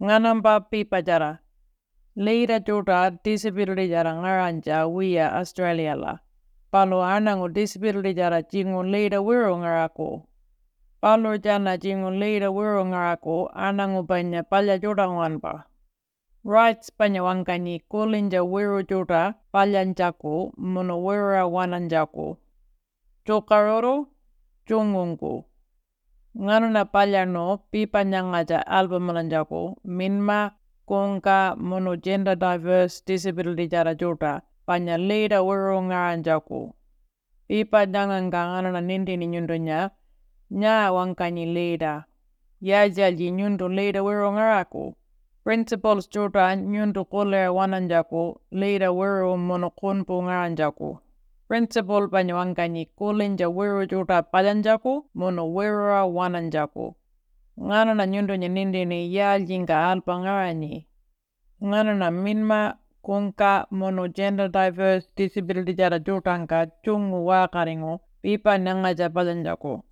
Nganamba pipa jara. Leira juta disability jara ngaranja wiya Australia la. Palo anangu disability jara jingu leira wiru ngaraku. Palo jana jingu leira wiru ngaraku anangu banya palya juta ngwanpa. Rights banya wangkani kulinja wiru juta palyanjaku munu wira wananjaku. Chukaruru chungungu. Nganuna palyano pipa nyangaja albumalanjaku minma kungka munu gender diverse disability jara juta panya leira wiru ngaranjaku. Pipa nyanganga nganuna nindini nyundunya nya wangkani leira. Yajalji nyundu leira wiru ngaraku. Principles juta nyundu kulera wananjaku leira wiru munu kunpu ngaranjaku. Principal banya wangkani kulinja wiru juta palyanjaku munu wira wananjaku. Nganuna nyundunya nindini yaljinga alpa ngarani. Nganuna minma kungka munu gender diverse disability jara jutangka chungu wakaringu pipa nangaja palyanjaku.